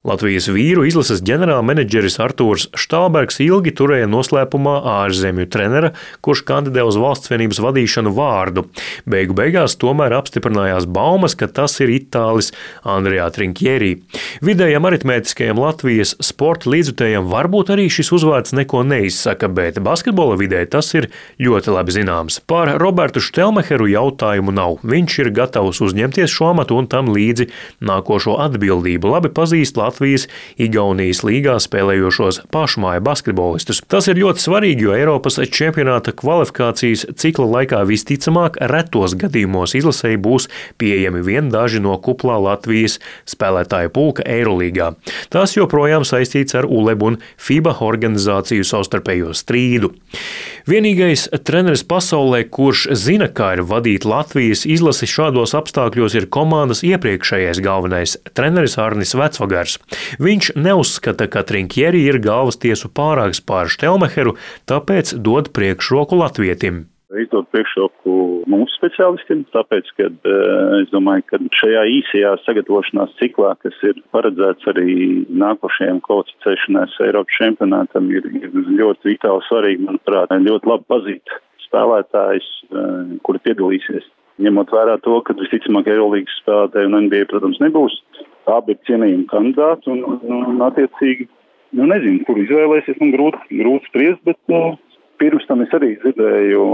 Latvijas vīru izlases ģenerālmenedžeris Artūrs Štālbergs ilgi turēja noslēpumā ārzemju trenera, kurš kandidē uz Valsts vienības vadīšanu vārdu. Beigu beigās tomēr apstiprinājās baumas, ka tas ir itālis Andrea Trinchieri. Vidējam aritmētiskajam Latvijas sporta līdzjutējam varbūt arī šis uzvārds neko neizsaka, bet basketbola vidē tas ir ļoti labi zināms. Par Robertu Štelmecheru jautājumu nav. Viņš ir gatavs uzņemties šo amatu un tam līdzi nākošo atbildību. Labi pazīst Latvijas-Igaunijas līgā spēlējošos pašmāju basketbolistus. Tas ir ļoti svarīgi, jo Eiropas čempionāta kvalifikācijas cikla laikā visticamāk retos gadījumos izlasēji būs pieejami vien daži no kuplā Latvijas spēlētāju pulka Eirolīgā. Tas joprojām saistīts ar ULEB un FIBA organizāciju savstarpējo strīdu. Vienīgais treneris pasaulē, kurš zina, kā ir vadīt Latvijas izlasi šādos apstākļos, ir komandas iepriekšējais galvenais treneris Arnis Vecvagars. Viņš neuzskata, ka Trinchieri ir galvas tiesu pārāks pār Štelmecheru, tāpēc dod priekšroku latvietim. Es dodu priekšroku mūsu speciālistiem, tāpēc, ka es domāju, ka šajā īsajā sagatavošanās ciklā, kas ir paredzēts arī nākošajam kvalificēšanās Eiropas čempionātam, ir ļoti vitāli svarīgi, manuprāt, ļoti labi pazīt spēlētājus, kuri piedalīsies. Ņemot vērā to, ka visticamāk Eirolīgas spēlētāji un NBA, protams, nebūs. Abi ir cienījumi kandidāti un attiecīgi, nezinu, kur izvēlēsies, man grūti spriest, bet pirms tam es arī dzirdēju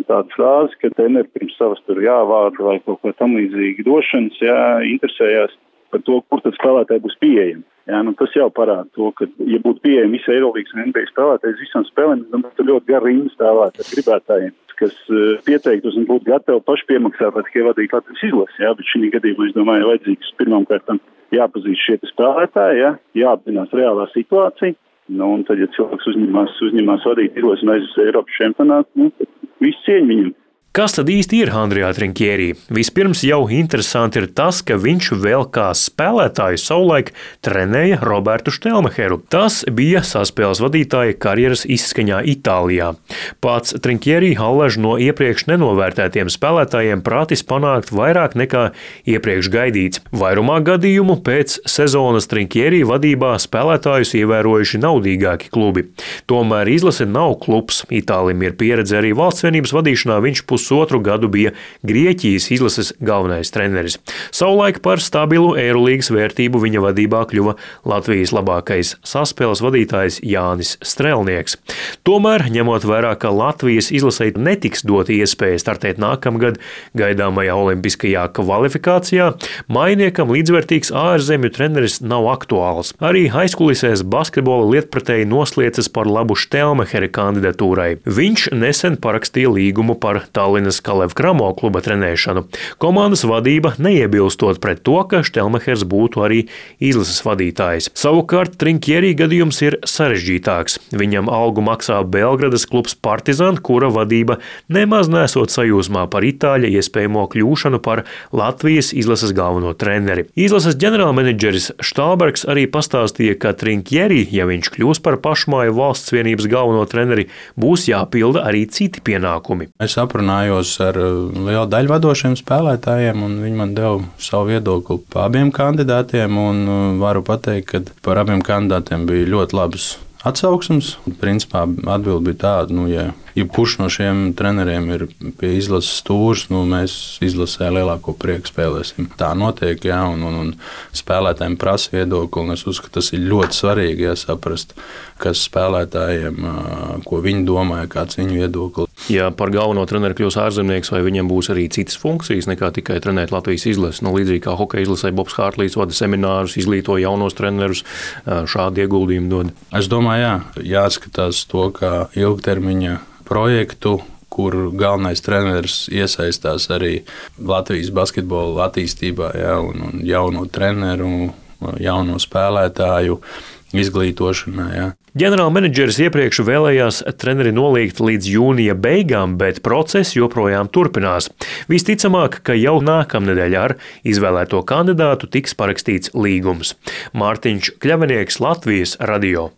tādu frāzi, ka treneri pirms savas tur vārdu vai kaut ko tam līdzīgi došanas, interesējās par to, kur tad spēlētāji būs pieejami. Tas jau parāda to, ka, ja būtu pieejami visi Eirolīgas un NBA spēlētāji visām spēlēm, tad ļoti gara rinda spēlētāji gribētājiem, kas pieteiktos un būtu gatavi paši piemaksāt, lai tikai vadītu Latvijas izlasi. Bet šī gadījumā, es domāju, vajadzīgs pirmkārt jāpazīst šie spēlētāji, jāapzinās reālā situācija. Un tad, ja cilvēks uzņemās vadīt izlasi un aizies Eiropas čempionātu, tad viss cieņa viņam. Kas tad īsti ir Andrea Trinchieri? Vispirms jau interesanti ir tas, ka viņš vēl kā spēlētāju savulaik trenēja Robertu Štelmecheru. Tas bija saspēles vadītāja karjeras izskaņā Itālijā. Pats Trinchieri allaž no iepriekš nenovērtētiem spēlētājiem prātis panākt vairāk nekā iepriekš gaidīts. Vairumā gadījumu pēc sezonas Trinchieri vadībā spēlētājus ievērojuši naudīgāki klubi. Tomēr izlase nav klubs. Itālim ir pieredze arī valsts vienības vadīšanā, viņš pusotru gadu bija Grieķijas izlases galvenais treneris. Savulaik par stabilu Eirolīgas vērtību viņa vadībā kļuva Latvijas labākais saspēles vadītājs Jānis Strelnieks. Tomēr, ņemot vērā, ka Latvijas izlasei netiks dot iespēja startēt nākamgad gaidāmajā olimpiskajā kvalifikācijā, mainiekam līdzvērtīgs ārzemju treneris nav aktuāls. Arī aizkulisēs basketbola lietpratēji nosliecas par labu Štelmechera kandidatūrai. Viņš nesen parakstīja līgumu par Tallinas Kalev Kramo kluba trenēšanu. Komandas vadība neiebilstot pret to, ka Štelmechers būtu arī izlases vadītājs. Savukārt Trinchieri gadījums ir sarežģītāks. Viņam algu maksā Belgradas klubs Partizan, kura vadība nemaz nesot sajūsmā par itāļa iespējamo kļūšanu par Latvijas izlases galveno treneri. Izlases ģenerālmenedžeris Štālbergs arī pastāstīja, ka Trinchieri, ja viņš kļūs par pašmāju valsts vienības galveno treneri, būs jāpilda arī citi pienākumi. Es aprunājos ar lielu daļu vadošiem spēlētājiem, un viņi man deva savu viedokli par abiem kandidātiem, un varu pateikt, ka par abiem kandidātiem bija ļoti labs atsauksmes. Principā atbilde bija tāda, ja kurš no šiem treneriem ir pie izlases stūrs, mēs izlasē lielāko prieku spēlēsim. Tā notiek, un spēlētājiem prasa viedokli, un es uzskatu, tas ir ļoti svarīgi, saprast, kas spēlētājiem, ko viņi domāja, kāds viņu viedokli. Ja par galveno treneru kļūs ārzemnieks, vai viņam būs arī citas funkcijas nekā tikai trenēt Latvijas izlasi? Līdzīgi kā hokeja izlasē Bobs Hārtlīs vada seminārus, izglīto jaunos trenerus, šādi ieguldījumi dod. Es domāju, jāskatās to, kā ilgtermiņa projektu, kur galvenais treneris iesaistās arī Latvijas basketbola attīstībā, un jauno treneru, jauno spēlētāju izglītošanā. Ģenerālmenedžeris iepriekš vēlējās treneri noliegt līdz jūnija beigām, bet process joprojām turpinās. Visticamāk, ka jau nākamnedēļ ar izvēlēto kandidātu tiks parakstīts līgums. Mārtiņš Kļavinieks, Latvijas radio.